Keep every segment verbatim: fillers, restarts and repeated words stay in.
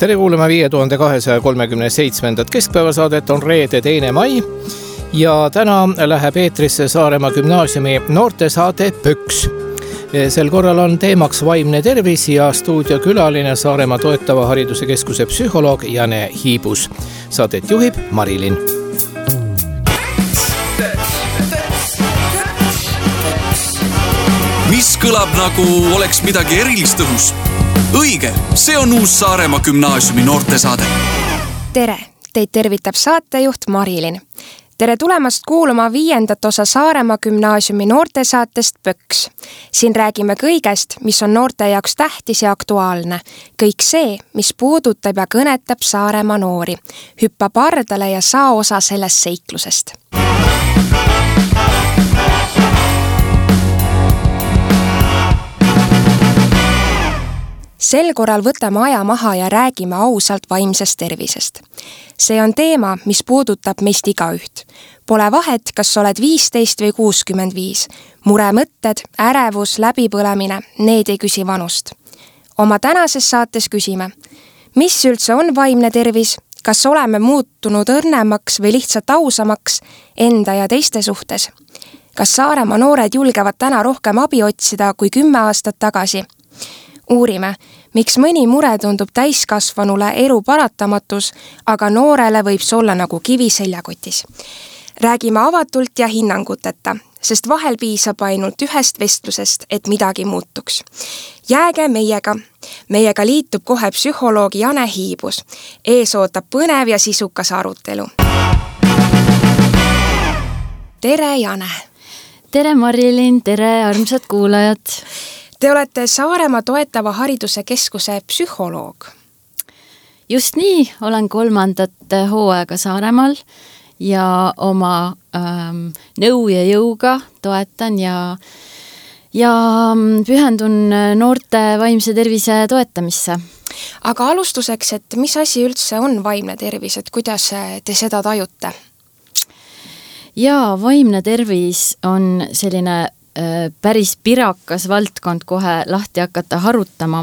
Tere kuulama viie tuhande kahesaja kolmekümne seitsmendat keskpäevasaadet, on reede teine mai ja täna läheb eetrisse Saaremaa gümnaasiumi noortesaade Pöks. Sel korral on teemaks vaimne tervis ja stuudiokülaline Saaremaa toetava hariduse keskuse psühholoog Jane Hiibus. Saadet juhib Marilin. Mis kõlab nagu oleks midagi erilist õhus? Õige, see on uus Saaremaa gümnaasiumi noortesaade. Tere, teid tervitab saatejuht Marilin. Tere tulemast kuulama viiendat osa Saaremaa gümnaasiumi noortesaatest Pöks. Siin räägime kõigest, mis on noorte jaoks tähtis ja aktuaalne. Kõik see, mis puudutab ja kõnetab Saaremaa noori. Hüppa pardale ja saa osa sellest seiklusest. Sel korral võtame aja maha ja räägime ausalt vaimsest tervisest. See on teema, mis puudutab meist igaüht. Pole vahet, kas oled viisteist või kuuskümmend viis. Muremõtted, ärevus, läbipõlemine, need ei küsi vanust. Oma tänases saates küsime, mis üldse on vaimne tervis, kas oleme muutunud õrnemaks või lihtsalt ausamaks enda ja teiste suhtes? Kas Saaremaa noored julgevad täna rohkem abi otsida kui kümme aastat tagasi? Uurime, miks mõni mure tundub täiskasvanule elu paratamatus, aga noorele võib see olla nagu kivi seljakotis. Räägime avatult ja hinnanguteta, sest vahel piisab ainult ühest vestlusest, et midagi muutuks. Jääge meiega. Meiega liitub kohe psühholoog Jane Hiibus. Ees ootab põnev ja sisukas arutelu. Tere, Jane! Tere, Marilin! Tere, armsad kuulajad! Te olete Saaremaa toetava hariduse keskuse psühholoog. Just nii, olen kolmandat hooaega Saaremaal ja oma ähm, nõu ja jõuga toetan ja, ja pühendun noorte vaimse tervise toetamisse. Aga alustuseks, et mis asi üldse on vaimne tervis, et kuidas te seda tajute? Jaa, vaimne tervis on selline päris pirakas valdkond kohe lahti hakata harutama.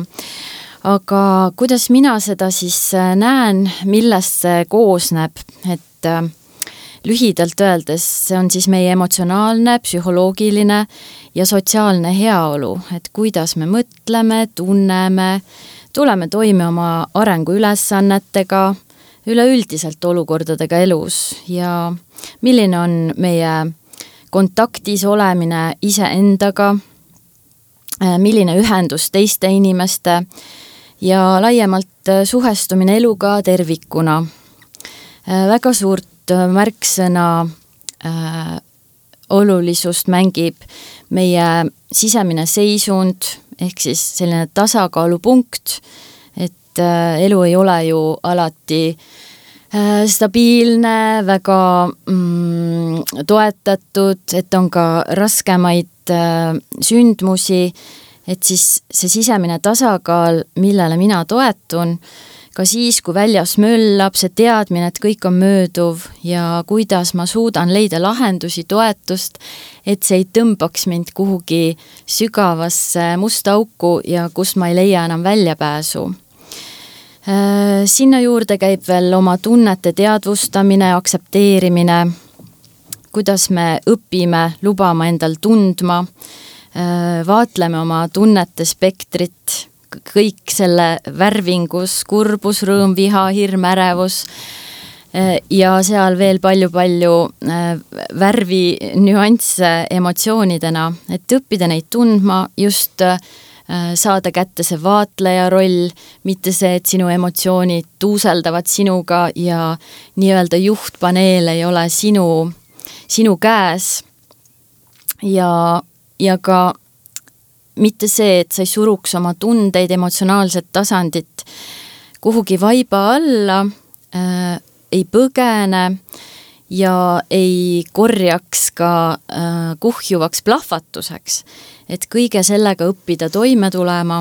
Aga kuidas mina seda siis näen, millest see koosneb, et lühidalt öeldes see on siis meie emotsionaalne, psühholoogiline ja sotsiaalne heaolu, et kuidas me mõtleme, tunneme, tuleme toime oma arenguülesannetega, üleüldiselt olukordadega elus ja milline on meie kontaktis olemine iseendaga, milline ühendus teiste inimeste ja laiemalt suhestumine eluga tervikuna. Väga suurt märksõna äh, olulisust mängib meie sisemine seisund, ehk siis selline tasakaalupunkt, et äh, elu ei ole ju alati stabiilne, väga mm, toetatud, et on ka raskemaid äh, sündmusi, et siis see sisemine tasakaal, millele mina toetun, ka siis, kui väljas möllab, see teadmine, et kõik on mööduv ja kuidas ma suudan leida lahendusi, toetust, et see ei tõmbaks mind kuhugi sügavasse musta auku ja kus ma ei leia enam väljapääsu. Sinna juurde käib veel oma tunnete teadvustamine, aksepteerimine, kuidas me õpime lubama endal tundma, vaatleme oma tunnete spektrit, kõik selle värvingus, kurbus, rõõm, viha, hirm, ärevus ja seal veel palju-palju värvi nüansse emotsioonidena, et õppida neid tundma just saada kätte see vaatleja roll, mitte see, et sinu emotsioonid tuuseldavad sinuga ja nii-öelda juhtpaneel ei ole sinu, sinu käes ja, ja ka mitte see, et sa ei suruks oma tundeid, emotsionaalset tasandit kuhugi vaiba alla, äh, ei põgene ja ei korjaks ka äh, kuhjuvaks plahvatuseks, et kõige sellega õppida toime tulema,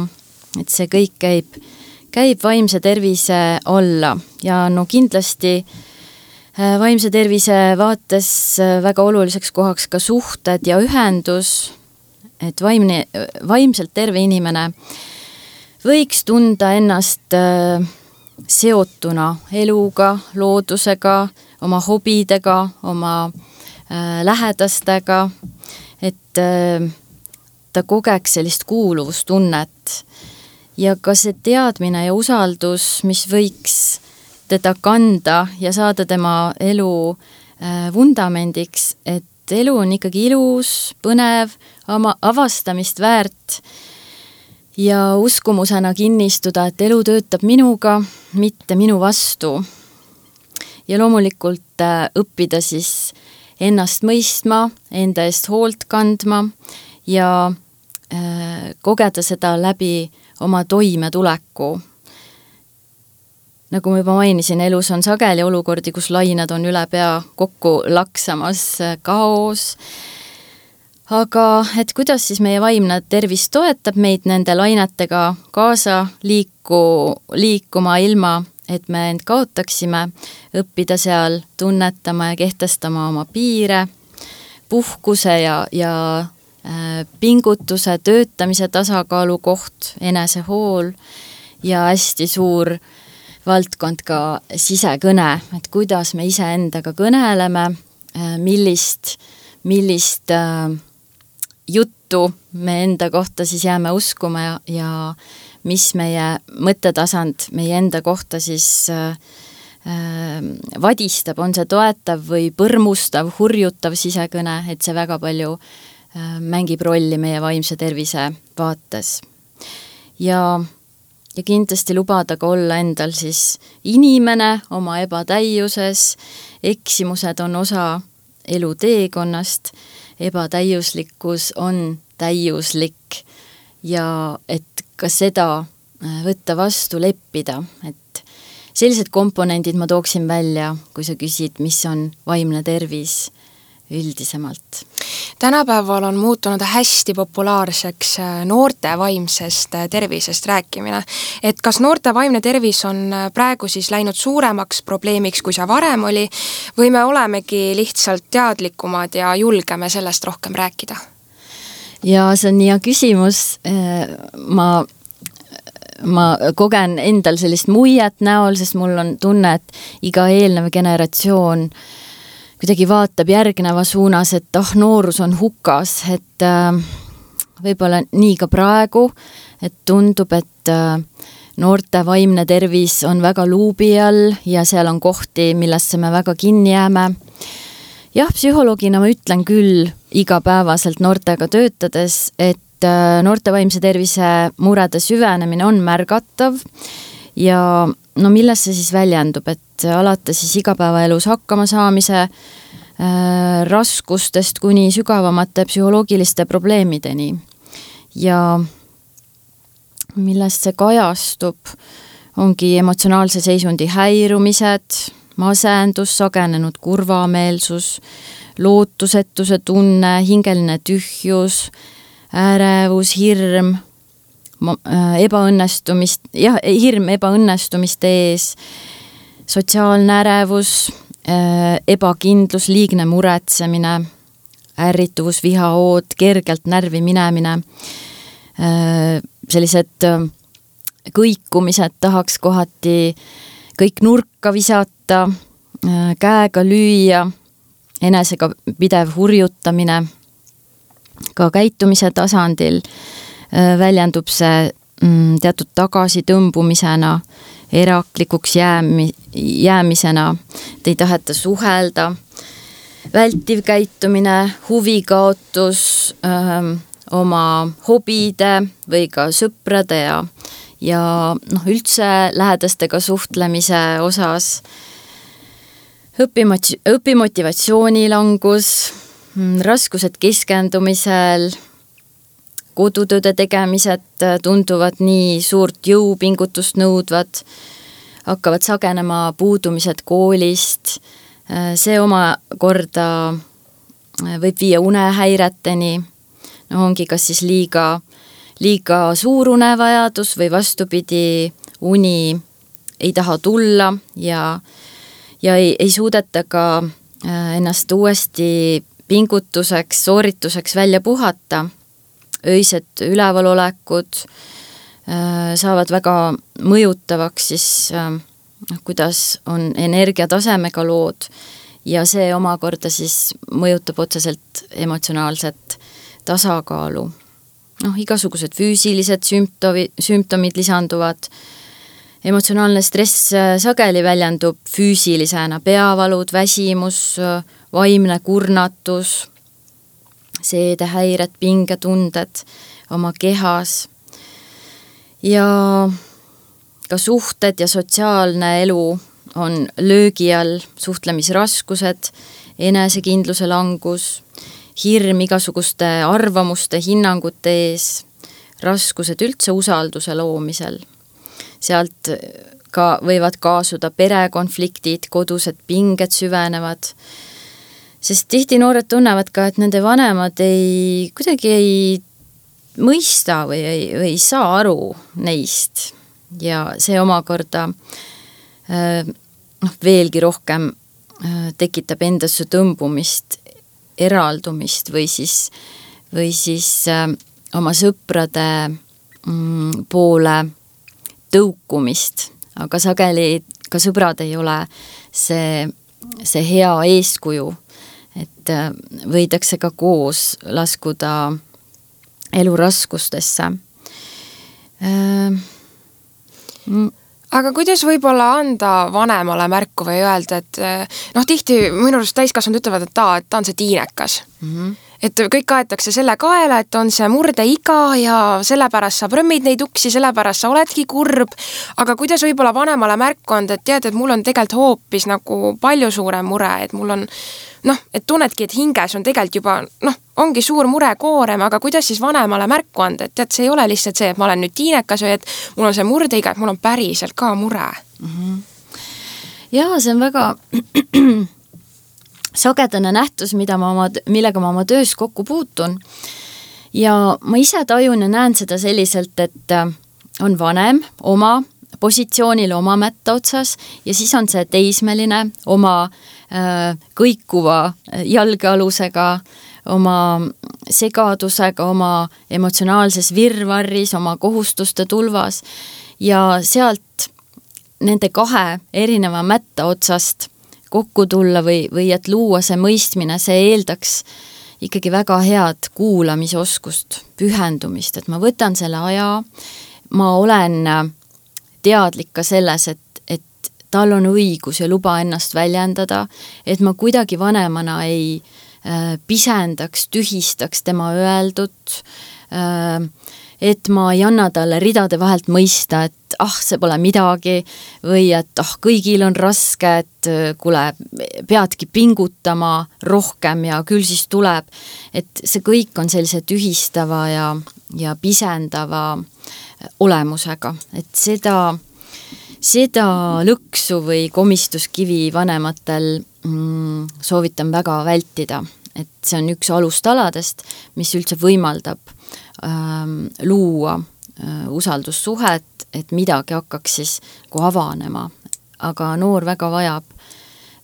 et see kõik käib, käib vaimse tervise alla ja no kindlasti äh, vaimse tervise vaates äh, väga oluliseks kohaks ka suhted ja ühendus, et vaimne, vaimselt terve inimene võiks tunda ennast äh, seotuna eluga, loodusega, oma hobidega, oma äh, lähedastega, et äh, ta kogeks sellist kuuluvustunnet ja ka see teadmine ja usaldus, mis võiks teda kanda ja saada tema elu äh, vundamendiks, et elu on ikkagi ilus, põnev, oma avastamist väärt ja uskumusena kinnistuda, et elu töötab minuga, mitte minu vastu. Ja loomulikult äh, õppida siis ennast mõistma, enda eest hoolt kandma ja äh, kogeda seda läbi oma toimetuleku. Nagu ma juba mainisin, elus on sageli olukordi, kus lained on üle pea kokku laksamas, kaos. Aga et kuidas siis meie vaimne tervis toetab meid nende lainetega kaasa liiku, liikuma ilma, et me end kaotaksime, õppida seal tunnetama ja kehtestama oma piire, puhkuse ja, ja pingutuse, töötamise tasakaalu koht, enesehool ja hästi suur valdkond ka sisekõne, et kuidas me ise endaga kõneleme, millist, millist juttu me enda kohta siis jääme uskuma ja, ja mis meie mõttetasand meie enda kohta siis äh, vadistab, on see toetav või põrmustav, hurjutav sisekõne, et see väga palju mängib rolli meie vaimse tervise vaates. Ja, ja kindlasti lubada ka olla endal siis inimene oma ebatäiuses, eksimused on osa elu teekonnast, ebatäiuslikkus on täiuslik ja et ka seda võtta vastu, leppida, et sellised komponendid ma tooksin välja, kui sa küsid, mis on vaimne tervis üldisemalt. Tänapäeval on muutunud hästi populaarseks noorte vaimsest tervisest rääkimine. Et kas noorte vaimne tervis on praegu siis läinud suuremaks probleemiks, kui see varem oli, või me olemegi lihtsalt teadlikumad ja julgeme sellest rohkem rääkida? Ja see on nii hea küsimus. Ma, ma kogen endal sellist muiet näol, sest mul on tunne, et iga eelnev generatsioon kuidagi vaatab järgneva suunas, et oh, noorus on hukas, et äh, võib-olla nii ka praegu, et tundub, et äh, noorte vaimne tervis on väga luubi all ja seal on kohti, millesse me väga kinni jääme. Jah, psühholoogina ma ütlen küll igapäevaselt noortega töötades, et äh, noorte vaimse tervise murede süvenemine on märgatav ja no milles see siis väljendub, et alata siis igapäevaelus hakkama saamise äh, raskustest kuni sügavamate psühholoogiliste probleemideni. Ja millest see kajastub, ongi emotsionaalse seisundi häirumised, masendus, sagenenud kurvameelsus, lootusetuse tunne, hingeline tühjus, ärevus, hirm, ebaõnnestumist, jah, hirm ebaõnnestumiste ees, sotsiaalne ärevus, ebakindlus, liigne muretsemine, ärrituvus, vihaood, kergelt närvi minemine, sellised kõikumised, tahaks kohati kõik nurka visata, käega lüüa, enesega pidev hurjutamine, ka käitumise tasandil väljendub see teatud tagasitõmbumisena, eraklikuks jäämi, jäämisena, et ei taheta suhelda, vältiv käitumine, huvikaotus öö, oma hobide või ka sõprade ja, ja noh, üldse lähedastega suhtlemise osas, õpimot- õpimotivatsiooni langus, raskused keskendumisel, kodutööde tegemised tunduvad nii suurt jõupingutust nõudvad, hakkavad sagenema puudumised koolist, see oma korda võib viia unehäireteni, no ongi kas siis liiga, liiga suur unevajadus või vastupidi, uni ei taha tulla ja, ja ei, ei suudeta ka ennast uuesti pingutuseks, soorituseks välja puhata, öised ülevalolekut, saavad väga mõjutavaks siis, kuidas on energiatasemega lood ja see omakorda siis mõjutab otseselt emotsionaalset tasakaalu. Noh, igasugused füüsilised sümptomi, sümptomid lisanduvad. Emotsionaalne stress sageli väljendub füüsilisena, peavalud, väsimus, vaimne kurnatus, seedehäired, pingetunded oma kehas ja ka suhted ja sotsiaalne elu on löögi all, suhtlemisraskused, enesekindluse langus, hirm igasuguste arvamuste, hinnangute ees, raskused üldse usalduse loomisel. Sealt ka võivad kaasuda perekonfliktid, kodused pinged süvenevad, sest tihti noored tunnevad ka, et nende vanemad ei, kuidagi ei mõista või ei, või ei saa aru neist ja see omakorda noh, veelgi rohkem tekitab endasse tõmbumist, eraldumist või siis, või siis oma sõprade poole tõukumist, aga sageli ka sõbrad ei ole see, see hea eeskuju, et võidakse ka koos laskuda eluraskustesse. Aga kuidas võib-olla anda vanemale märku või öelda, et noh, tihti minu arust täiskasvanud ütlevad, et ta, et ta on see tiinekas. Mm-hmm. Et kõik aetakse selle kaela, et on see murdeiga ja sellepärast sa prõmmid neid uksi, sellepärast sa oledki kurb. Aga kuidas võib-olla vanemale märku anda, et tead, et mul on tegelikult hoopis nagu palju suurem mure, et mul on noh, et tunnedki, et hinges on tegelikult juba, noh, ongi suur mure koorem, aga kuidas siis vanemale märku anda, et tead, see ei ole lihtsalt see, et ma olen nüüd tiinekas või et mul on see murdeiga, et mul on päriselt ka mure. Mm-hmm. Jaa, see on väga sagedane nähtus, mida ma oma, millega ma oma töös kokku puutun. Ja ma ise tajun ja näen seda selliselt, et on vanem oma positsioonil oma mätta otsas ja siis on see teismeline oma äh, kõikuva jalgealusega, oma segadusega, oma emotsionaalses virvarris, oma kohustuste tulvas ja sealt nende kahe erineva mätta otsast kokku tulla või, või et luua see mõistmine, see eeldaks ikkagi väga head kuulamisoskust, pühendumist, et ma võtan selle aja, ma olen teadlik ka selles, et, et tal on õigus ja luba ennast väljendada, et ma kuidagi vanemana ei äh, pisendaks, tühistaks tema öeldut, äh, et ma ei anna talle ridade vahelt mõista, et ah, see pole midagi või et ah, kõigil on raske, et kuule, peadki pingutama rohkem ja küll siis tuleb, et see kõik on sellise tühistava ja, ja pisendava olemusega, et seda, seda lõksu või komistuskivi vanematel mm, soovitan väga vältida, et see on üks alustaladest, mis üldse võimaldab ähm, luua äh, usaldussuhet, et midagi hakkaks siis kui avanema, aga noor väga vajab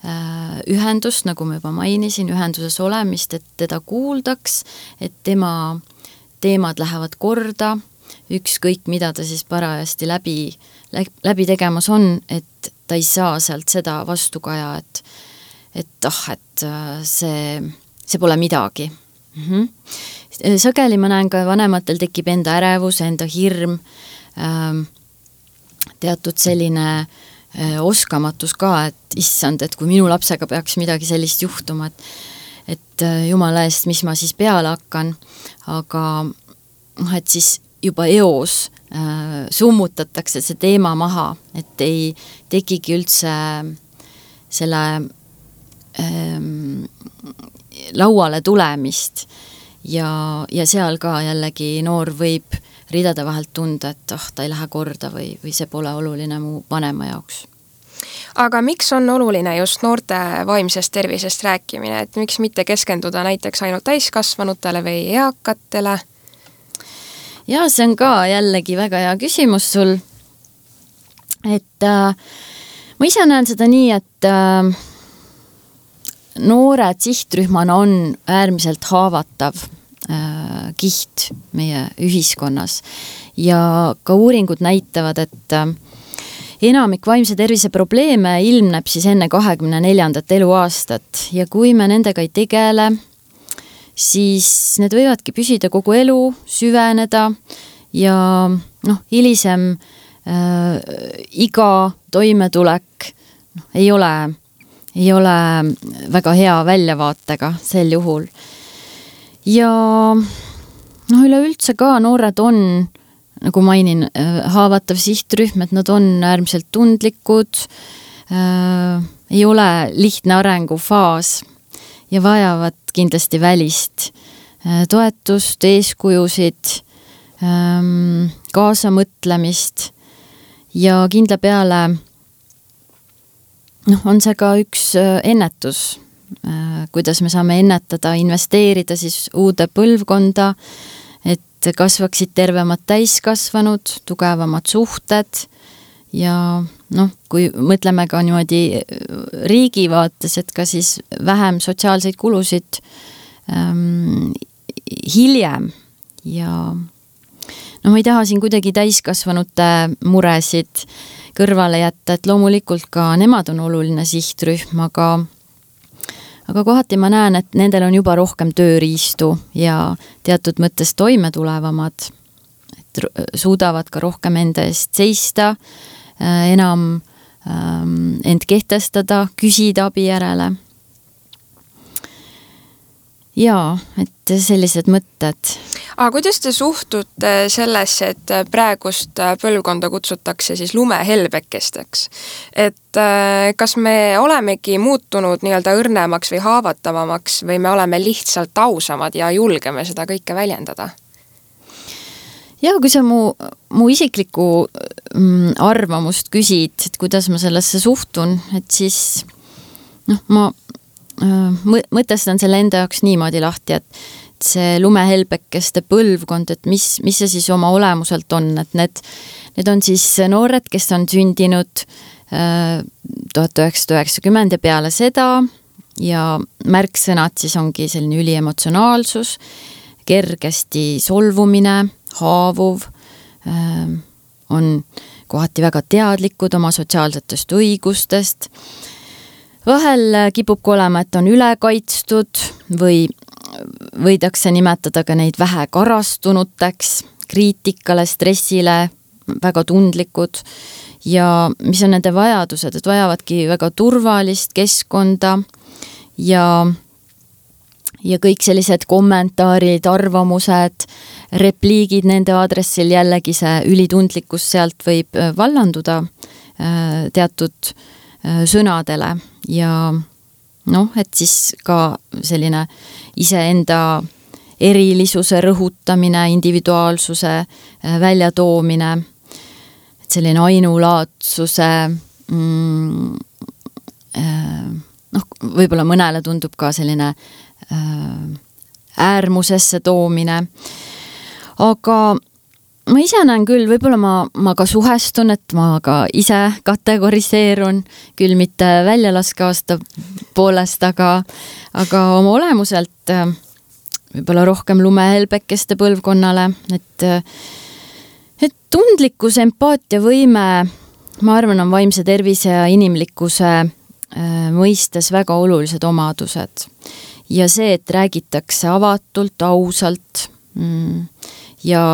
äh, ühendust, nagu ma juba mainisin, ühenduses olemist, et teda kuuldaks, et tema teemad lähevad korda, ükskõik mida ta siis parajasti läbi, läbi tegemas on, et ta ei saa sealt seda vastukaja, et, et ah, et see, see pole midagi. Mm-hmm. Sageli ma näen ka vanematel tekib enda ärevus, enda hirm, ähm, teatud selline äh, oskamatus ka, et issand, et kui minu lapsega peaks midagi sellist juhtuma, et, et äh, jumala eest, mis ma siis peale hakkan, aga et siis juba eos äh, summutatakse see teema maha, et ei tekigi üldse selle ähm, lauale tulemist ja, ja seal ka jällegi noor võib ridade vahelt tunda, et ah, ta ei lähe korda või, või see pole oluline mu vanema jaoks. Aga miks on oluline just noorte vaimsest tervisest rääkimine, et miks mitte keskenduda näiteks ainult täiskasvanutele või eakatele? Ja see on ka jällegi väga hea küsimus sul, et äh, ma ise näen seda nii, et äh, noored sihtrühmana on äärmiselt haavatav äh, kiht meie ühiskonnas. Ja ka uuringud näitavad, et enamik vaimse tervise probleeme ilmneb siis enne kahekümne neljandat eluaastat ja kui me nendega ei tegele, siis need võivadki püsida kogu elu, süveneda ja noh, hilisem äh, iga toimetulek noh, ei ole, ei ole väga hea väljavaatega sel juhul. Ja noh, üleüldse ka noored on, nagu mainin, haavatav sihtrühm, et nad on äärmiselt tundlikud, äh, ei ole lihtne arengufaas ja vajavad kindlasti välist äh, toetust, eeskujusid, ähm, kaasamõtlemist ja kindla peale noh, on see ka üks äh, ennetus, äh, kuidas me saame ennetada, investeerida siis uude põlvkonda, et kasvaksid tervemad täiskasvanud, tugevamad suhted ja noh, kui mõtleme ka niimoodi riigi vaates, et ka siis vähem sotsiaalseid kulusid ähm, hiljem ja no ma ei taha siin kuidagi täiskasvanute muresid kõrvale jätta, et loomulikult ka nemad on oluline sihtrühm, aga aga kohati ma näen, et nendel on juba rohkem tööriistu ja teatud mõttes toimetulevamad, et suudavad ka rohkem enda eest seista, enam end kehtestada, küsida abi järele. Jaa, et sellised mõtted. Aga kuidas te suhtute sellesse, et praegust põlvkonda kutsutakse siis lumehelbekesteks? Et kas me olemegi muutunud nii-öelda õrnemaks või haavatavamaks või me oleme lihtsalt ausamad ja julgeme seda kõike väljendada? Ja kui sa mu, mu isiklikku arvamust küsid, et kuidas ma sellesse suhtun, et siis noh, ma mõtestan selle enda jaoks niimoodi lahti, et see lumehelbekeste põlvkond, et mis, mis see siis oma olemuselt on, et need, need on siis noored, kes on sündinud tuhat üheksasada üheksakümmend ja peale seda ja märksõnad siis ongi selline üliemotsionaalsus, kergesti solvumine, haavuv, on kohati väga teadlikud oma sotsiaalsetest õigustest. Vahel kipub olema, et on ülekaitstud või võidakse nimetada ka neid vähe karastunuteks, kriitikale, stressile, väga tundlikud ja mis on nende vajadused, et vajavadki väga turvalist keskkonda ja, ja kõik sellised kommentaarid, arvamused, repliigid nende aadressil jällegi see ülitundlikkus sealt võib vallanduda teatud sõnadele ja noh, et siis ka selline iseenda erilisuse rõhutamine, individuaalsuse väljatoomine, selline ainulaatsuse mm, noh, võib-olla mõnele tundub ka selline äärmusesse toomine, aga ma ise näen küll, võib-olla ma, ma ka suhestun, et ma ka ise kategoriseerun, küll mitte väljalaskaasta poolest, aga, aga oma olemuselt võib-olla rohkem lumehelbekeste põlvkonnale, et, et tundlikkus, empaatia võime, ma arvan, on vaimse tervise ja inimlikkuse mõistes väga olulised omadused. Ja see, et räägitakse avatult, ausalt ja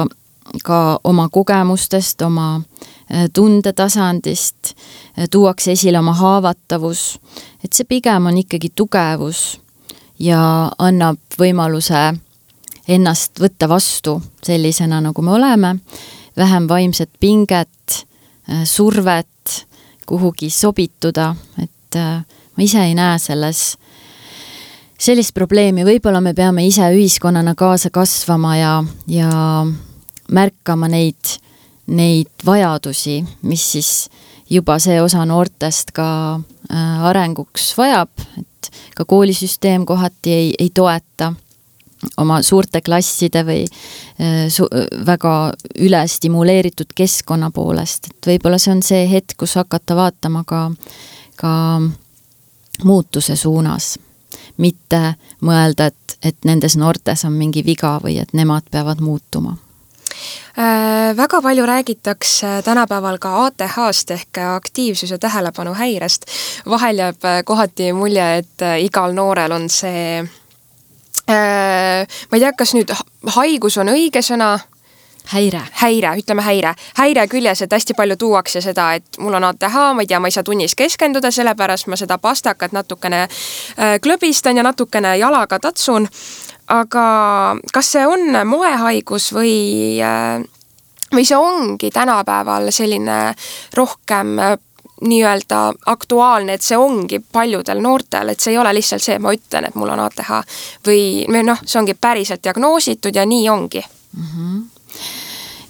ka oma kogemustest, oma tundetasandist, tuuakse esile oma haavatavus, et see pigem on ikkagi tugevus ja annab võimaluse ennast võtta vastu sellisena, nagu me oleme, vähem vaimset pinget, survet, kuhugi sobituda, et ma ise ei näe selles sellist probleemi, võib-olla me peame ise ühiskonnana kaasa kasvama ja, ja märkama neid, neid vajadusi, mis siis juba see osa noortest ka äh, arenguks vajab, et ka koolisüsteem kohati ei, ei toeta oma suurte klasside või äh, su- väga üle stimuleeritud keskkonna poolest, et võib-olla see on see hetk, kus hakata vaatama ka, ka muutuse suunas. mitte mõelda, et, et nendes noortes on mingi viga või et nemad peavad muutuma. Äh, väga palju räägitakse tänapäeval ka A T H-st ehk aktiivsus- ja tähelepanu häirest. Vahel jääb kohati mulje, et igal noorel on see, äh, ma ei tea, kas nüüd haigus on õige sõna? Häire. Häire, ütleme häire. Häire küljes, et hästi palju tuuakse seda, et mul on A T H, ma ei tea, ma ei saa tunnis keskenduda, sellepärast ma seda pastakat natukene äh, klõbistan ja natukene jalaga tatsun. Aga kas see on moehaigus või, või see ongi tänapäeval selline rohkem nii-öelda aktuaalne, et see ongi paljudel noortel, et see ei ole lihtsalt see, et ma ütlen, et mul on A T H või noh, see ongi päriselt diagnoositud ja nii ongi. Mm-hmm.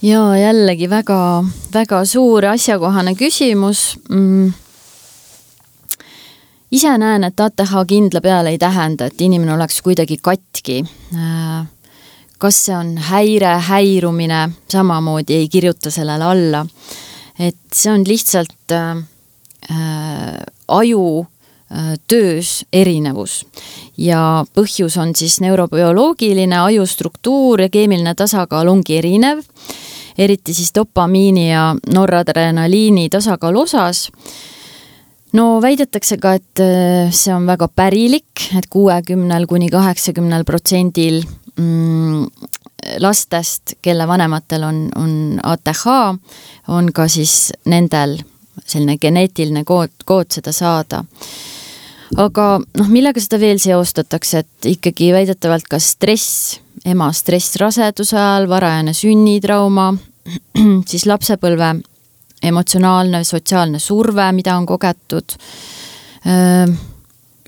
Ja jällegi väga, väga suur asjakohane küsimus. Mm. Ise näen, et A T H kindla peale ei tähenda, et inimene oleks kuidagi katki. Kas see on häire, häirumine, samamoodi ei kirjuta sellele alla. Et see on lihtsalt äh, aju äh, töös erinevus. Ja põhjus on siis neurobioloogiline, ajustruktuur ja keemiline tasakaal ongi erinev. Eriti siis dopamiini ja noradrenaliini tasakaal osas. No väidetakse ka, et see on väga pärilik, et kuuekümnel kuni kaheksakümnel protsendil lastest, kelle vanematel on, on A T H, on ka siis nendel selline geneetiline kood, kood seda saada. Aga noh, millega seda veel seostatakse, et ikkagi väidetavalt ka stress, ema stress raseduse ajal, varajane sünnitrauma, siis lapsepõlve emotsionaalne, sotsiaalne surve, mida on kogetud.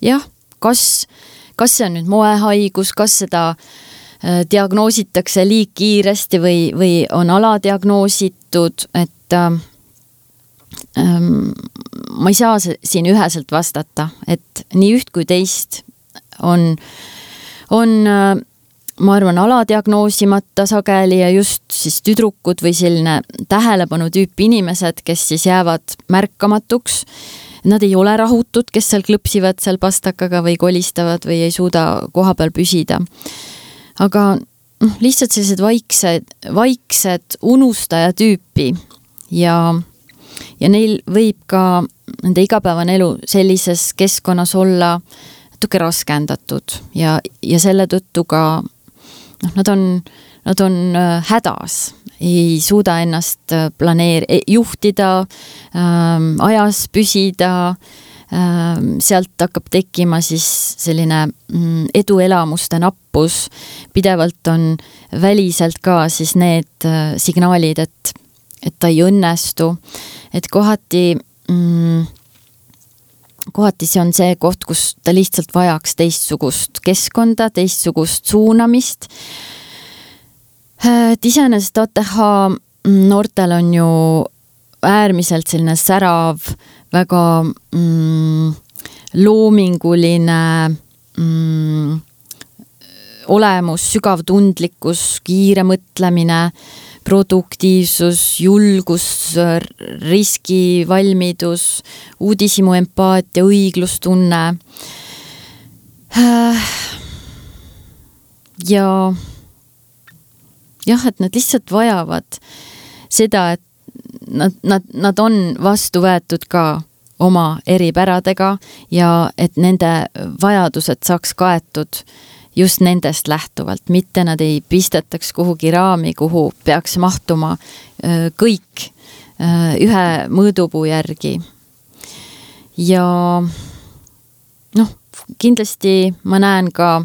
Jah, kas, kas see on nüüd moehaigus, kas seda diagnoositakse liig kiiresti või, või on aladiagnoositud, et ähm, ma ei saa siin üheselt vastata, et nii üht kui teist on, on ma arvan, aladiagnoosimata sageli ja just siis tüdrukud või selline tähelepanu tüüpi inimesed, kes siis jäävad märkamatuks. Nad ei ole rahutud, kes seal klõpsivad seal pastakaga või kolistavad või ei suuda koha peal püsida. Aga noh, lihtsalt sellised vaiksed, vaiksed unustaja tüüpi ja, ja neil võib ka nende igapäevane elu sellises keskkonnas olla natuke raskendatud ja, ja selle tõttu ka noh, nad on, nad on hädas, ei suuda ennast planeer-, juhtida, ähm, ajas püsida, ähm, sealt hakkab tekkima siis selline mm, eduelamuste nappus, pidevalt on väliselt ka siis need äh, signaalid, et, et ta ei õnnestu, et kohati mm, kohati see on see koht, kus ta lihtsalt vajaks teistsugust keskkonda, teistsugust suunamist. Et iseenesest A T H noortel on ju äärmiselt selline särav, väga mm, loominguline mm, olemus, sügav tundlikkus, kiire mõtlemine, produktiivsus, julgus, riskivalmidus, uudishimu empaatia, õiglustunne. Ja jah, et nad lihtsalt vajavad seda, et nad, nad, nad on vastu võetud ka oma eripäradega ja et nende vajadused saaks kaetud just nendest lähtuvalt, mitte nad ei pistetaks kuhugi raami, kuhu peaks mahtuma kõik ühe mõõdupuu järgi. Ja noh, kindlasti ma näen ka,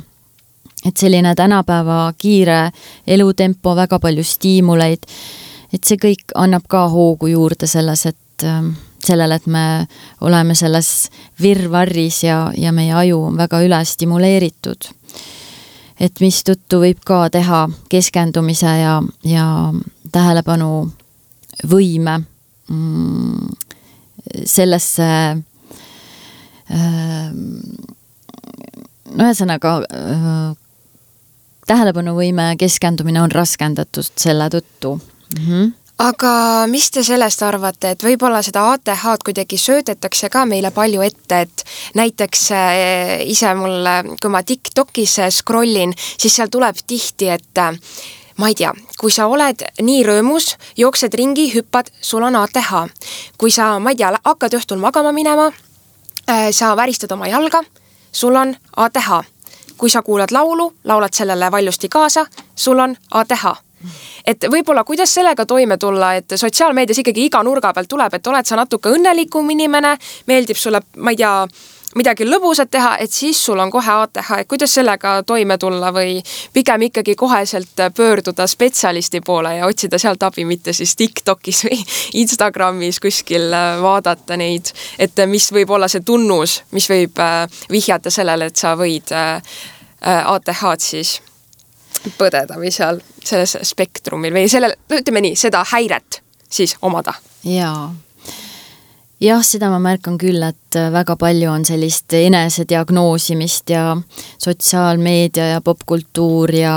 et selline tänapäeva kiire elutempo, väga palju stiimuleid, et see kõik annab ka hoogu juurde selles, et sellele, et me oleme selles virvarris ja, ja meie aju on väga üle stimuleeritud. Et mis tõttu võib ka teha keskendumise ja, ja tähelepanu võime mm, sellesse äh, no ühesõnaga äh, tähelepanu võime keskendumine on raskendatud selle tõttu. Mm-hmm. Aga mis te sellest arvate, et võib-olla seda A T H-d kuidagi söödetakse ka meile palju ette, et näiteks ise mulle, kui ma TikTokis scrollin, siis seal tuleb tihti, et ma ei tea, kui sa oled nii rõõmus, jooksed ringi, hüppad, sul on A T H. Kui sa, ma ei tea, hakkad õhtul magama minema, sa väristad oma jalga, sul on A T H. Kui sa kuulad laulu, laulad sellele valjusti kaasa, sul on A T H. Et võib-olla kuidas sellega toime tulla, et sotsiaalmeedias ikkagi iga nurga pealt tuleb, et oled sa natuke õnnelikum inimene, meeldib sulle, ma ei tea, midagi lõbusat teha, et siis sul on kohe A T H, et kuidas sellega toime tulla või pigem ikkagi koheselt pöörduda spetsialisti poole ja otsida sealt abi, mitte siis TikTokis või Instagramis kuskil vaadata neid, et mis võib olla see tunnus, mis võib vihjata sellele, et sa võid A T H-d siis põdeda või seal selles spektrumil või sellel, ütleme nii, seda häiret siis omada. Jaa. Jah, seda ma märkan küll, et väga palju on sellist enesediagnoosimist ja sotsiaalmeedia ja popkultuur ja,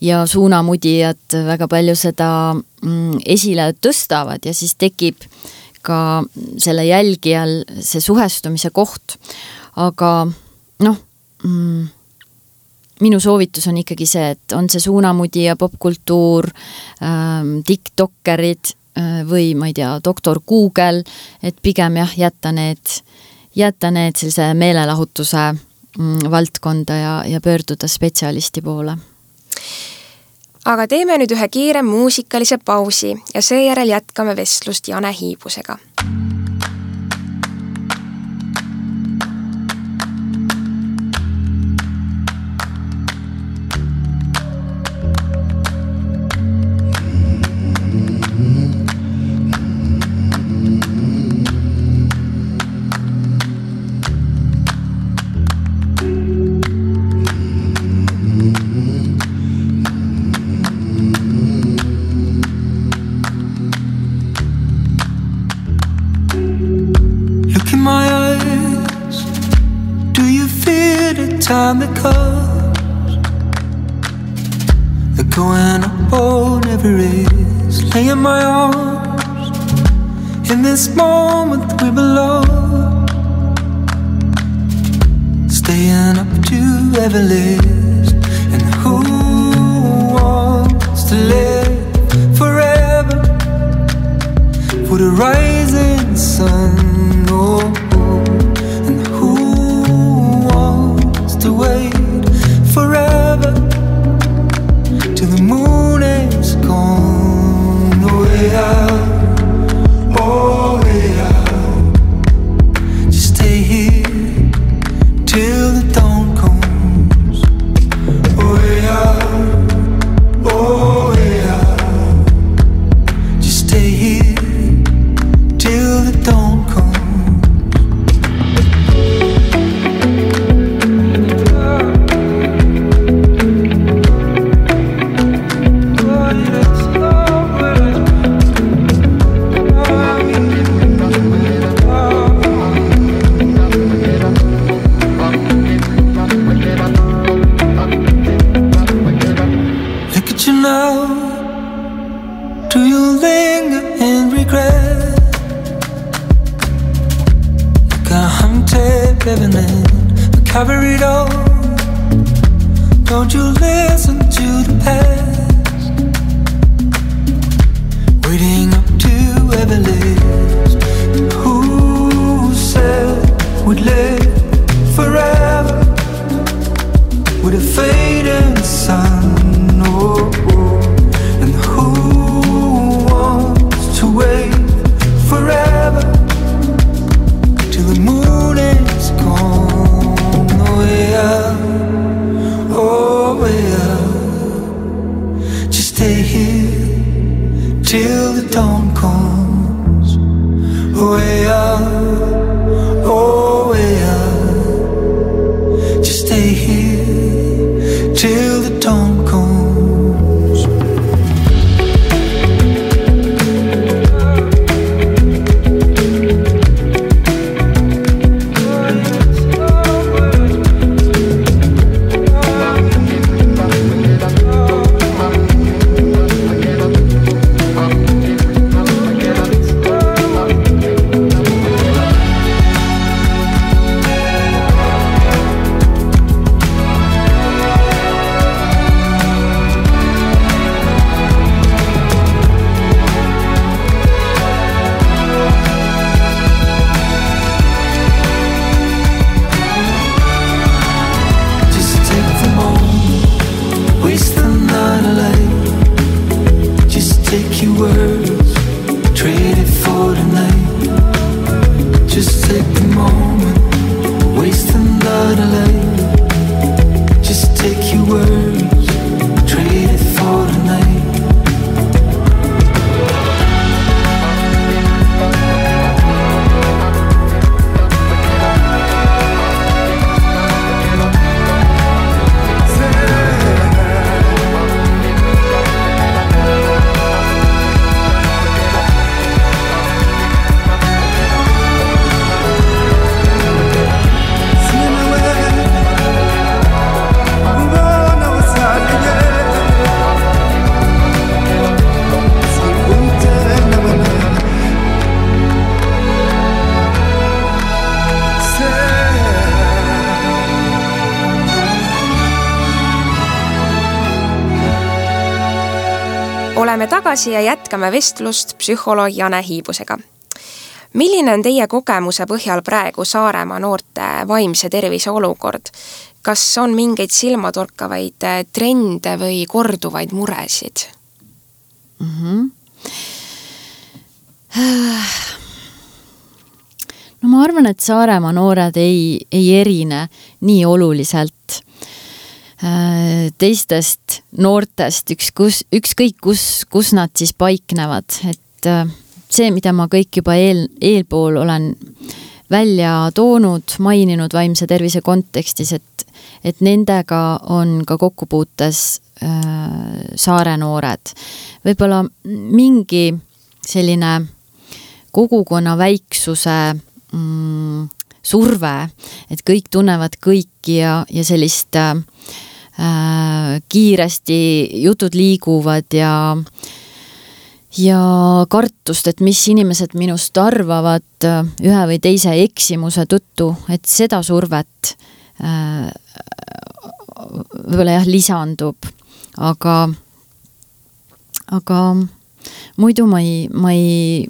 ja suunamudijad väga palju seda esile tõstavad ja siis tekib ka selle jälgijal see suhestumise koht. Aga noh, mm, minu soovitus on ikkagi see, et on see suunamudi ja popkultuur, ähm, TikTokerid äh, või ma ei tea, doktor Google, et pigem jah, jätta need, jätta need sellise meelelahutuse mm, valdkonda ja, ja pöörduda spetsialisti poole. Aga teeme nüüd ühe kiire muusikalise pausi ja seejärel jätkame vestlust Jane Hiibusega. Time that comes, the going up on Everest, laying my arms in this moment we belong, staying up to Everest, and who wants to live forever for the rising sun? Oh, and who to wait forever till the moon is gone? Oh, way out, oh, way out. Just stay here till the dawn comes. Oh, way out, oh, way out. Just stay here till the dawn comes. Cover it all. Don't you listen to the past, waiting up to Everest. Who said we'd live forever with a fading sun? Oh, oh. And who wants to wait forever till the moon is gone? Way out, oh, way out. Just stay here till the dawn comes. Just take a moment, wasting the delay. Just take your words, trade it for tonight. Oleme tagasi ja jätkame vestlust psühholoog Jane Hiibusega. Milline on teie kogemuse põhjal praegu Saaremaa noorte vaimse tervise olukord? Kas on mingeid silmatorkavaid trende või korduvaid muresid? Mm-hmm. No ma arvan, et Saaremaa noored ei, ei erine nii oluliselt teistest noortest, üks, kus, ükskõik kus, kus nad siis paiknevad, et see, mida ma kõik juba eel, eelpool olen välja toonud, maininud vaimse tervise kontekstis, et, et nendega on ka kokkupuutes äh, saare noored. Võib-olla mingi selline kogukonna väiksuse mm, surve, et kõik tunnevad kõiki ja, ja sellist äh, kiiresti jutud liiguvad ja ja kartust, et mis inimesed minust arvavad ühe või teise eksimuse tõttu, et seda survet äh, võib-olla jah, lisandub, aga aga muidu ma ei ma ei,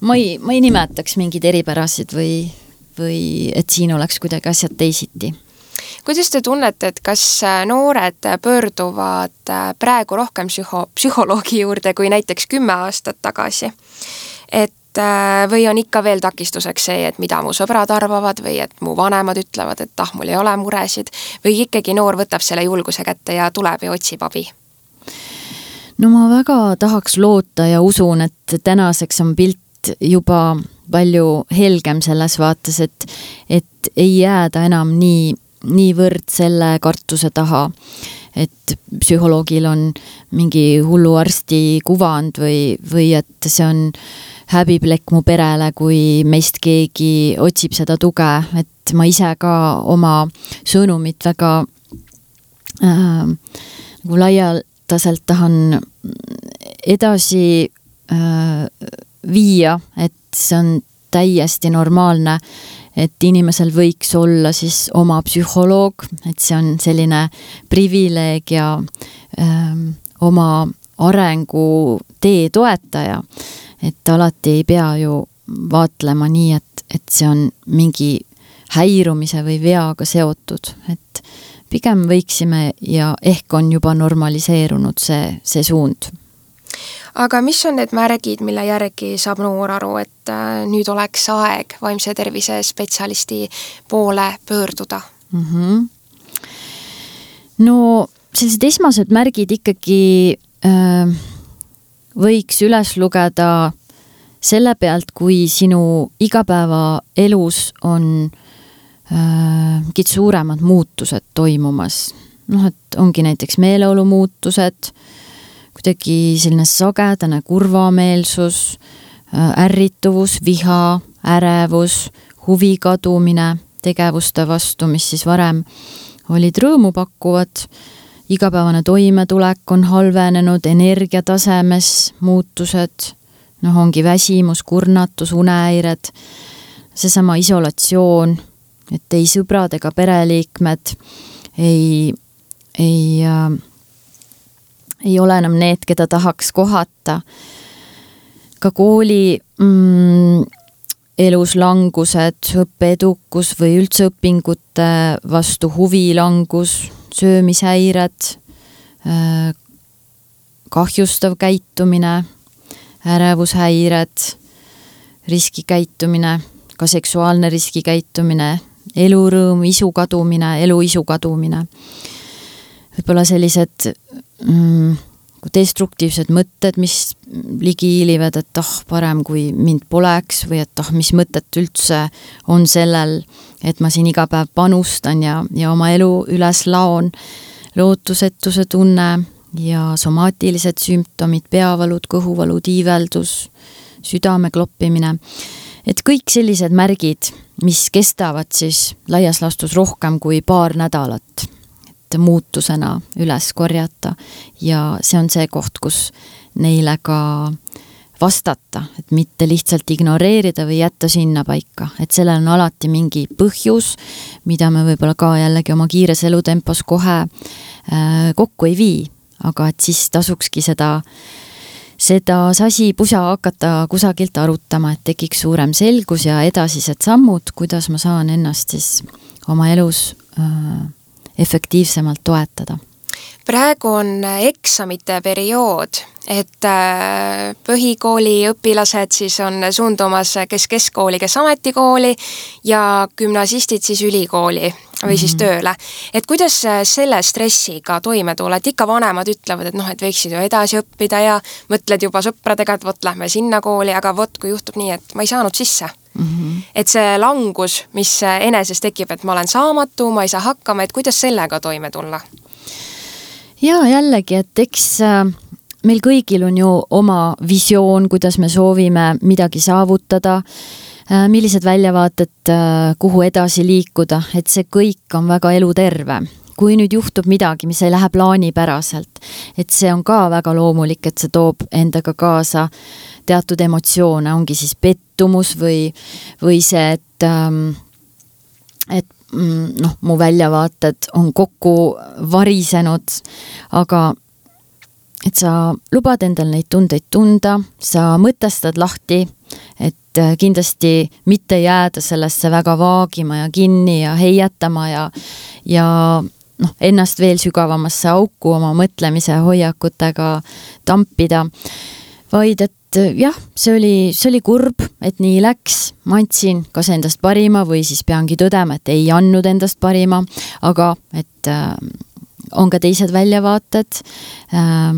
ma ei, ma ei nimetaks mingeid eripärasid või, või et siin oleks kuidagi asjad teisiti. Kuidas te tunnete, et kas noored pöörduvad praegu rohkem psühho, psühholoogi juurde kui näiteks kümme aastat tagasi? Et või on ikka veel takistuseks see, et mida mu sõbrad arvavad või et mu vanemad ütlevad, et ah, mul ei ole muresid või ikkagi noor võtab selle julguse kätte ja tuleb ja otsib abi? No ma väga tahaks loota ja usun, et tänaseks on pilt juba palju helgem selles vaates, et, et ei jääda enam nii niivõrd selle kartuse taha, et psühholoogil on mingi hulluarsti kuvand või, või et see on häbiplekk mu perele, kui meist keegi otsib seda tuge, et ma ise ka oma sõnumit väga äh, nagu laialdaselt tahan edasi äh, viia, et see on täiesti normaalne, et inimesel võiks olla siis oma psühholoog, et see on selline privileeg ja öö, oma arengu tee toetaja, et alati ei pea ju vaatlema nii, et, et see on mingi häirumise või veaga seotud, et pigem võiksime ja ehk on juba normaliseerunud see, see suund. Aga mis on need märgid, mille järgi saab noor aru, et nüüd oleks aeg vaimse tervise spetsialisti poole pöörduda? Mm-hmm. No sellised esmased märgid ikkagi äh, võiks üles lugeda selle pealt, kui sinu igapäeva elus on äh, mingid suuremad muutused toimumas. Noh, et ongi näiteks meeleolu muutused, kuidagi selline sagedane kurvameelsus, ärrituvus, viha, ärevus, huvi kadumine tegevuste vastu, mis siis varem olid rõõmu pakkuvad, igapäevane toimetulek on halvenenud, energiatasemes muutused, noh ongi väsimus, kurnatus, unehäired, seesama isolatsioon, et ei sõbrad ega pereliikmed ei, ei äh, ei ole enam need, keda tahaks kohata. Ka kooli mm, elus langused, õppeedukus või üldse õpingute vastu huvilangus, söömishäired, kahjustav käitumine, ärevushäired, riskikäitumine, ka seksuaalne riskikäitumine, elurõõm, isu kadumine, elu isu kadumine. Võib-olla sellised mm, destruktiivsed mõtted, mis ligi hiilivad, et ah, parem kui mind poleks või et ah, mis mõtet üldse on sellel, et ma siin iga päev panustan ja, ja oma elu üles laon, lootusetuse tunne ja somaatilised sümptomid, peavalud, kõhuvalud, iiveldus, südame kloppimine. Et kõik sellised märgid, mis kestavad siis laias laastus rohkem kui paar nädalat, et muutusena üles korjata ja see on see koht, kus neile ka vastata, et mitte lihtsalt ignoreerida või jätta sinna paika, et sellel on alati mingi põhjus, mida me võib-olla ka jällegi oma kiires elutempos kohe äh, kokku ei vii, aga et siis tasukski seda seda sasi pusa hakata kusagilt arutama, et tekiks suurem selgus ja edasised sammud, kuidas ma saan ennast siis oma elus äh, efektiivsemalt toetada. Praegu on eksamite periood, et põhikooli õpilased siis on suundumas kes keskkooli, kes ametikooli ja gümnasistid siis ülikooli või siis tööle. Et kuidas selle stressiga toime tulla, et ikka vanemad ütlevad, et noh, et võiksid ju edasi õppida ja mõtled juba sõpradega, et võt lähme sinna kooli, aga võt, kui juhtub nii, et ma ei saanud sisse. Mm-hmm. Et see langus, mis eneses tekib, et ma olen saamatu, ma ei saa hakkama, et kuidas sellega toime tulla? Ja jällegi, et eks meil kõigil on ju oma visioon, kuidas me soovime midagi saavutada, millised väljavaated, kuhu edasi liikuda, et see kõik on väga eluterve. Kui nüüd juhtub midagi, mis ei lähe plaanipäraselt, et see on ka väga loomulik, et see toob endaga kaasa teatud emotsioone, ongi siis pettumus või, või see, et, et noh, mu väljavaated on kokku varisenud, aga et sa lubad endal neid tundeid tunda, sa mõtestad lahti, et kindlasti mitte jääda sellesse väga vaagima ja kinni ja heietama ja, ja noh, ennast veel sügavamasse auku oma mõtlemise hoiakutega tampida, vaid et jah, see oli, see oli kurb, et nii läks, ma andsin kas endast parima või siis peangi tõdema, et ei andnud endast parima, aga et äh, on ka teised väljavaated, äh,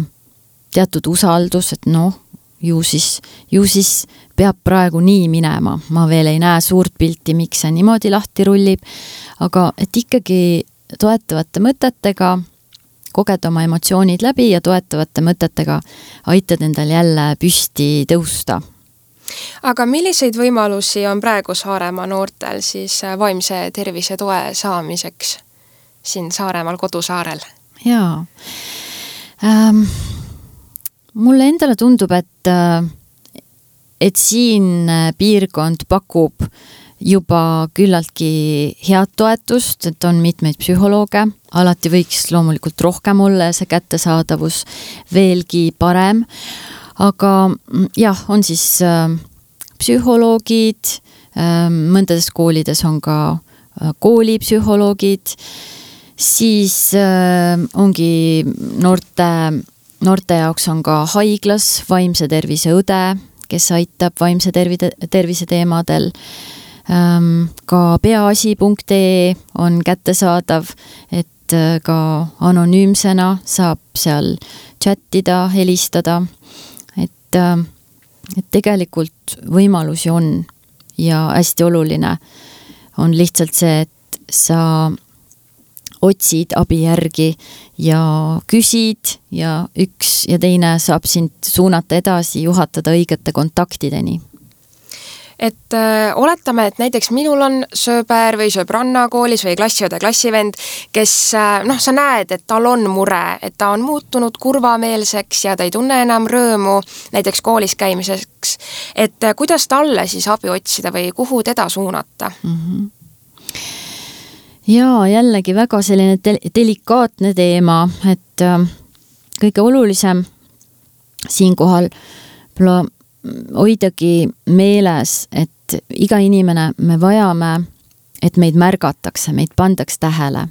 teatud usaldus, et noh, ju siis, ju siis peab praegu nii minema, ma veel ei näe suurt pilti, miks see niimoodi lahti rullib, aga et ikkagi toetavate mõtetega koged oma emotsioonid läbi ja toetavate mõtetega aitad endal jälle püsti tõusta. Aga milliseid võimalusi on praegu Saaremaa noortel siis vaimse tervise toe saamiseks siin Saaremaal kodusaarel? Jaa. Ähm, mulle endale tundub, et, et siin piirkond pakub juba küllaltki head toetust, et on mitmeid psühholooge, alati võiks loomulikult rohkem olla ja see kättesaadavus veelgi parem, aga jah, on siis äh, psühholoogid, äh, mõndades koolides on ka äh, koolipsühholoogid, siis äh, ongi noorte, noorte jaoks on ka haiglas vaimse tervise õde, kes aitab vaimse tervise, tervise teemadel. Ka peaasi punkt ee on kättesaadav, et ka anonüümsena saab seal chattida, helistada, et, et tegelikult võimalusi on ja hästi oluline on lihtsalt see, et sa otsid abi järgi ja küsid ja üks ja teine saab sind suunata edasi, juhatada õigete kontaktideni. Et äh, oletame, et näiteks minul on sööber või sööbranna koolis või klassiõde klassivend, kes äh, noh, sa näed, et tal on mure, et ta on muutunud kurvameelseks ja ta ei tunne enam rõõmu näiteks koolis käimiseks. Et äh, kuidas talle siis abi otsida või kuhu teda suunata? Mm-hmm. Ja jällegi väga selline del- delikaatne teema, et äh, kõige olulisem siinkohal pla- hoidagi meeles, et iga inimene me vajame, et meid märgatakse, meid pandaks tähele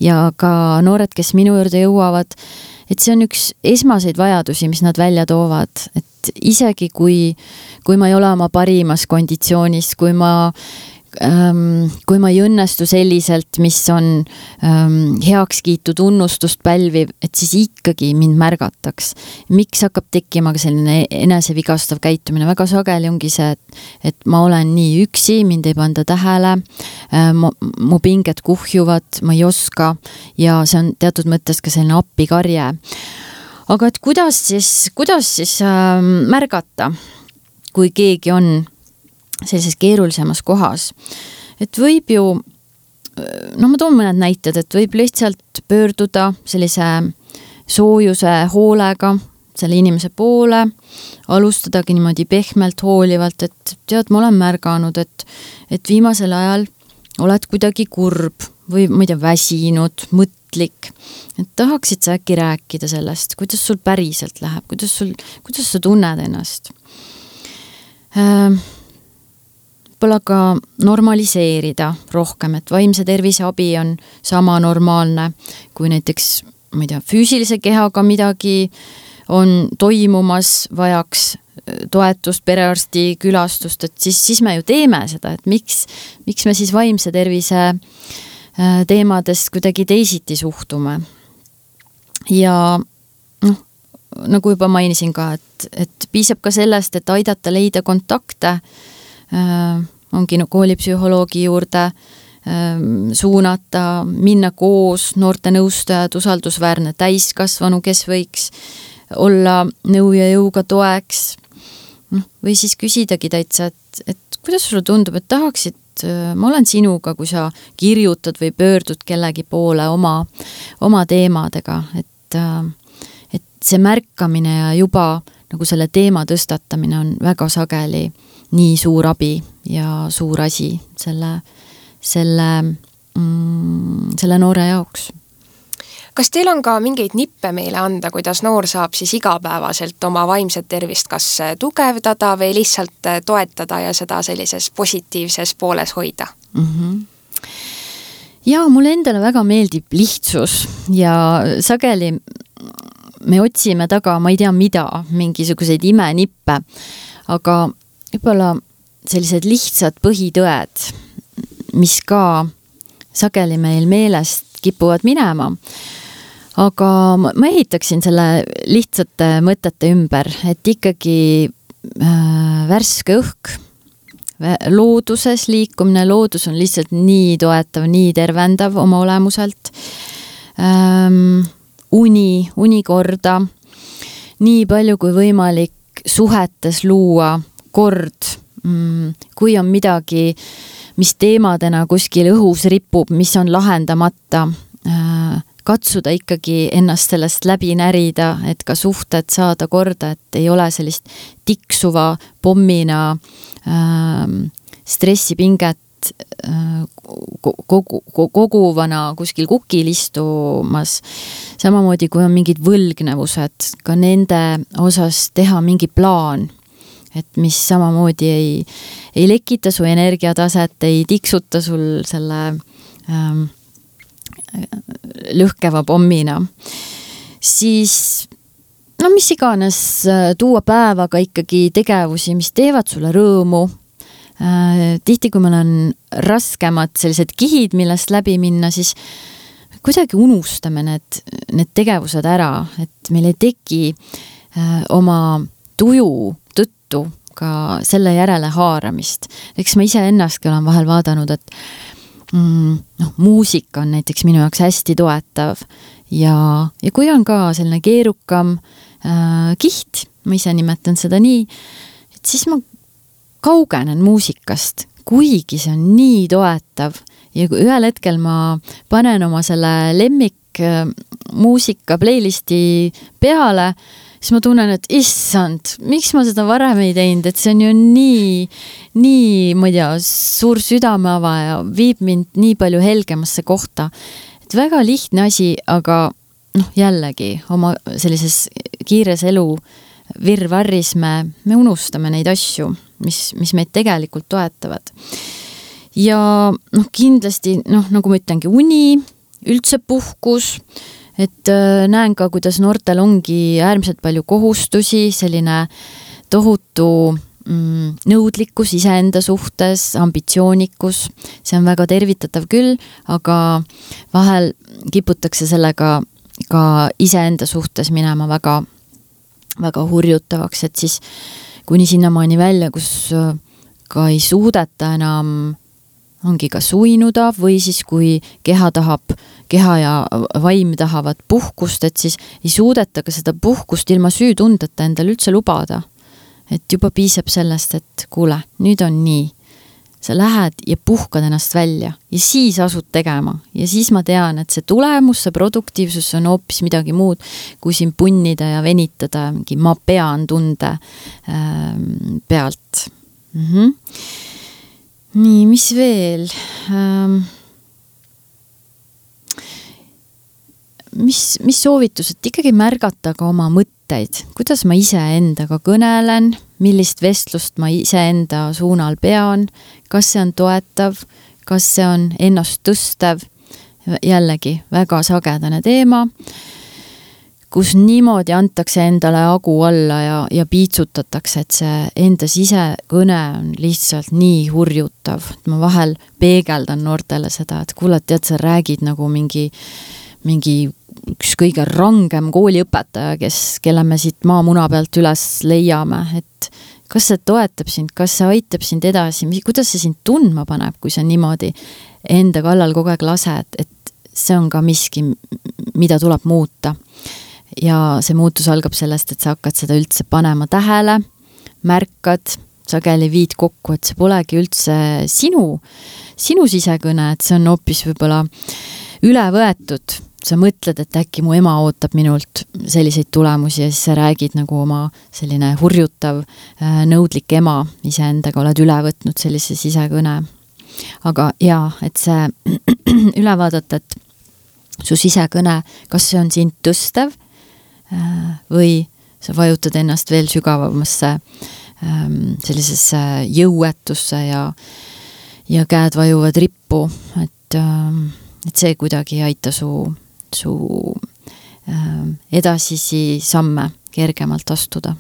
ja ka noored, kes minu juurde jõuavad, et see on üks esmaseid vajadusi, mis nad välja toovad, et et isegi kui, kui ma ei ole oma parimas konditsioonis, kui ma Ähm, kui ma ei õnnestu selliselt, mis on ähm, heakskiitu tunnustust pälviv, et siis ikkagi mind märgataks. Miks hakkab tekkima ka selline enesevigastav käitumine? Väga sageli ongi see, et, et ma olen nii üksi, mind ei panda tähele, äh, mu, mu pinged kuhjuvad, ma ei oska ja see on teatud mõttes ka selline appikarje. Aga et kuidas siis, kuidas siis äh, märgata, kui keegi on sellises keerulisemas kohas. Et võib ju, no ma toon mõned näited, et võib lihtsalt pöörduda sellise soojuse hoolega selle inimese poole, alustadagi niimoodi pehmelt hoolivalt, et tead, ma olen märganud, et, et viimasel ajal oled kuidagi kurb või ma ei tea, väsinud, mõtlik, et tahaksid sa äkki rääkida sellest, kuidas sul päriselt läheb, kuidas, sul, kuidas sa tunned ennast. Ähm, Pole ka normaliseerida rohkem, et vaimse tervise abi on sama normaalne, kui näiteks, ma ei tea, füüsilise kehaga midagi on toimumas, vajaks toetust, perearsti külastust, et siis, siis me ju teeme seda, et miks, miks me siis vaimse tervise teemadest kuidagi teisiti suhtume. Ja noh, nagu juba mainisin ka, et, et piisab ka sellest, et aidata leida kontakte, Äh, ongi no, koolipsühholoogi juurde äh, suunata, minna koos, noorte nõustajad, usaldusväärne täiskasvanu, kes võiks olla nõu ja jõuga toeks. No, või siis küsidagi täitsa, et, et kuidas sulle tundub, et tahaksid, äh, ma olen sinuga, kui sa kirjutad või pöördud kellegi poole oma, oma teemadega, et, äh, et see märkamine ja juba nagu selle teema tõstatamine on väga sageli nii suur abi ja suur asi selle, selle, mm, selle noore jaoks. Kas teil on ka mingeid nippe meile anda, kuidas noor saab siis igapäevaselt oma vaimset tervist kas tugevdada või lihtsalt toetada ja seda sellises positiivses pooles hoida? Mm-hmm. Ja mulle endale väga meeldib lihtsus ja sageli me otsime taga, ma ei tea mida, mingisuguseid imenippe, aga võib-olla sellised lihtsad põhitõed, mis ka sageli meil meelest kipuvad minema. Aga ma ehitaksin selle lihtsate mõtete ümber, et ikkagi äh, värske õhk, looduses liikumine, loodus on lihtsalt nii toetav, nii tervendav oma olemuselt. Ähm, uni, unikorda, nii palju kui võimalik suhetes luua kord, kui on midagi, mis teemadena kuskil õhus ripub, mis on lahendamata, katsuda ikkagi ennast sellest läbi närida, et ka suhted saada korda, et ei ole sellist tiksuva pommina stressipinget kogu, koguvana kuskil kukil istumas. Samamoodi, kui on mingid võlgnevused, ka nende osas teha mingi plaan, et mis samamoodi ei, ei lekita su energiataset, ei tiksuta sul selle ähm, lõhkeva pommina. Siis, no mis iganes, tuua päevaga ikkagi tegevusi, mis teevad sulle rõõmu. Äh, tihti, kui meil on raskemad sellised kihid, millest läbi minna, siis kuidagi unustame need, need tegevused ära, et meil ei teki äh, oma tuju tõttu ka selle järele haaramist. Eks ma ise ennastki olen vahel vaadanud, et mm, no, muusika on näiteks minu jaoks hästi toetav ja, ja kui on ka selline keerukam äh, kiht, ma ise nimetan seda nii, et siis ma kaugenen muusikast, kuigi see on nii toetav ja kui ühel hetkel ma panen oma selle lemmik äh, muusika playlisti peale, siis ma tunnen, et issand, miks ma seda varem ei teinud, et see on ju nii, nii, ma ei tea, suur südameava ja viib mind nii palju helgemasse kohta. Et väga lihtne asi, aga noh, jällegi oma sellises kiires elu virvarris me, me unustame neid asju, mis, mis meid tegelikult toetavad. Ja noh, kindlasti, noh, nagu ma ütlengi, uni, üldse puhkus, et näen ka, kuidas noortel ongi äärmiselt palju kohustusi, selline tohutu mm, nõudlikkus iseenda suhtes, ambitsioonikus, see on väga tervitatav küll, aga vahel kiputakse sellega ka iseenda suhtes minema väga, väga hurjutavaks, et siis kuni sinnamaani välja, kus ka ei suudeta enam ongi ka suinuda või siis kui keha tahab, keha ja vaim tahavad puhkust, et siis ei suudeta ka seda puhkust ilma süütundeta endale üldse lubada. Et juba piisab sellest, et kuule, nüüd on nii. Sa lähed ja puhkad ennast välja ja siis asud tegema. Ja siis ma tean, et see tulemus, see produktiivsus on hoopis midagi muud, kui siin punnida ja venitada mingi ma pean tunde ähm, pealt. Mhm. Nii, mis veel? Ähm, mis, mis soovitus, et ikkagi märgata ka oma mõtteid, kuidas ma ise endaga kõnelen, millist vestlust ma ise enda suunal pean, kas see on toetav, kas see on ennast tõstev, jällegi väga sagedane teema, kus niimoodi antakse endale agu alla ja, ja piitsutatakse, et see enda sisekõne on lihtsalt nii hurjutav. Ma vahel peegeldan noortele seda, et kuule, tead, sa räägid nagu mingi, mingi üks kõige rangem kooliõpetaja, kes, kelle me siit maamuna pealt üles leiame, et kas see toetab sind, kas see aitab sind edasi, kuidas see sind tundma paneb, kui sa niimoodi enda kallal kogu aeg lased, et see on ka miski, mida tuleb muuta. Ja see muutus algab sellest, et sa hakkad seda üldse panema tähele, märkad, sageli viid kokku, et see polegi üldse sinu, sinu sisekõne, et see on hoopis võib-olla üle võetud. Sa mõtled, et äkki mu ema ootab minult selliseid tulemusi ja siis sa räägid nagu oma selline hurjutav, nõudlik ema iseendaga, oled üle võtnud sellise sisekõne. Aga jaa, et see üle vaadata, et su sisekõne, kas see on sind tõstev, või sa vajutad ennast veel sügavamasse sellisesse jõuetusse ja, ja käed vajuvad rippu, et, et see kuidagi ei aita su, su edasisi samme kergemalt astuda.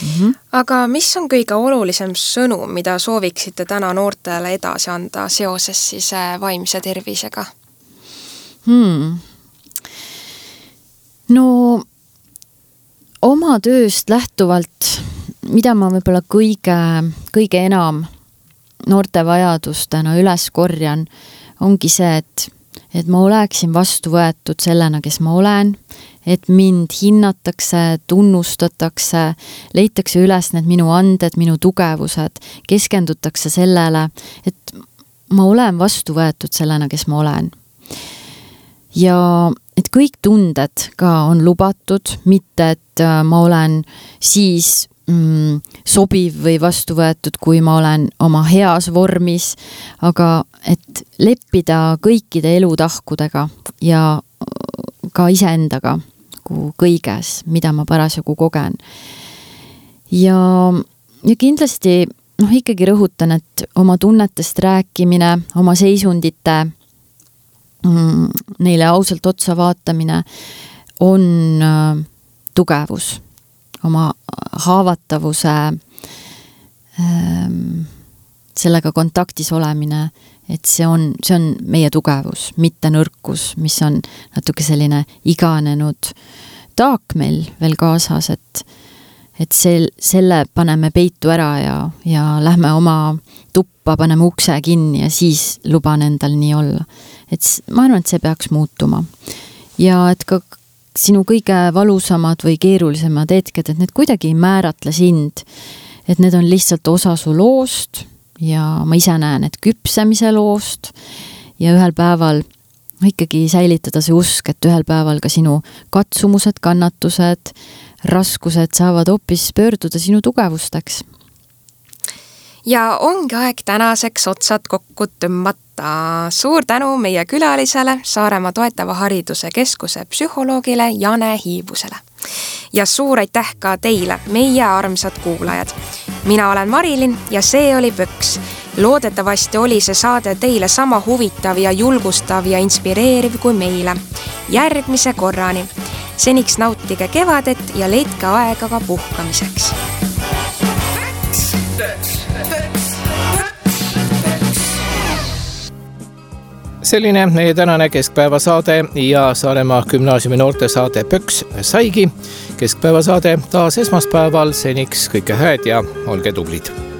Mm-hmm. Aga mis on kõige olulisem sõnum, mida sooviksite täna noortele edasi anda seoses siis vaimse tervisega? Hmm. No oma tööst lähtuvalt, mida ma võib-olla kõige, kõige enam noorte vajadustena üles korjan, ongi see, et, et ma oleksin vastu võetud sellena, kes ma olen, et mind hinnatakse, tunnustatakse, leitakse üles need minu anded, minu tugevused, keskendutakse sellele, et ma olen vastu võetud sellena, kes ma olen. Ja et kõik tunded ka on lubatud, mitte et ma olen siis mm, sobiv või vastu võetud, kui ma olen oma heas vormis, aga et leppida kõikide elutahkudega ja ka iseendaga kõiges, mida ma parasjagu kogen. Ja, ja kindlasti noh, ikkagi rõhutan, et oma tunnetest rääkimine, oma seisundite neile ausalt otsa vaatamine on tugevus, oma haavatavuse sellega kontaktis olemine, et see on, see on meie tugevus, mitte nõrkus, mis on natuke selline iganenud taak meil veel kaasas, et, et sel, selle paneme peitu ära ja, ja lähme oma tuppa, paneme ukse kinni ja siis luban endal nii olla. Et ma arvan, et see peaks muutuma. Ja et ka sinu kõige valusamad või keerulisemad hetked, et need kuidagi ei määratle sind, et need on lihtsalt osa su loost ja ma ise näen, et küpsemise loost ja ühel päeval ikkagi säilitada see usk, et ühel päeval ka sinu katsumused, kannatused, raskused saavad hoopis pöörduda sinu tugevusteks. Ja ongi aeg tänaseks otsad kokku tõmmata. Suur tänu meie külalisele, Saaremaa toetava hariduse keskuse psühholoogile Jane Hiibusele. Ja suur aitäh ka teile, meie armsad kuulajad. Mina olen Marilin ja see oli Pöks. Loodetavasti oli see saade teile sama huvitav ja julgustav ja inspireeriv kui meile. Järgmise korrani. Seniks nautige kevadet ja leidke aega ka puhkamiseks. Selline meie tänane keskpäevasaade ja Saaremaa gümnaasiumi noortesaade Pöks saigi. Keskpäevasaade taas esmaspäeval, seniks kõike hääd ja olge tublid.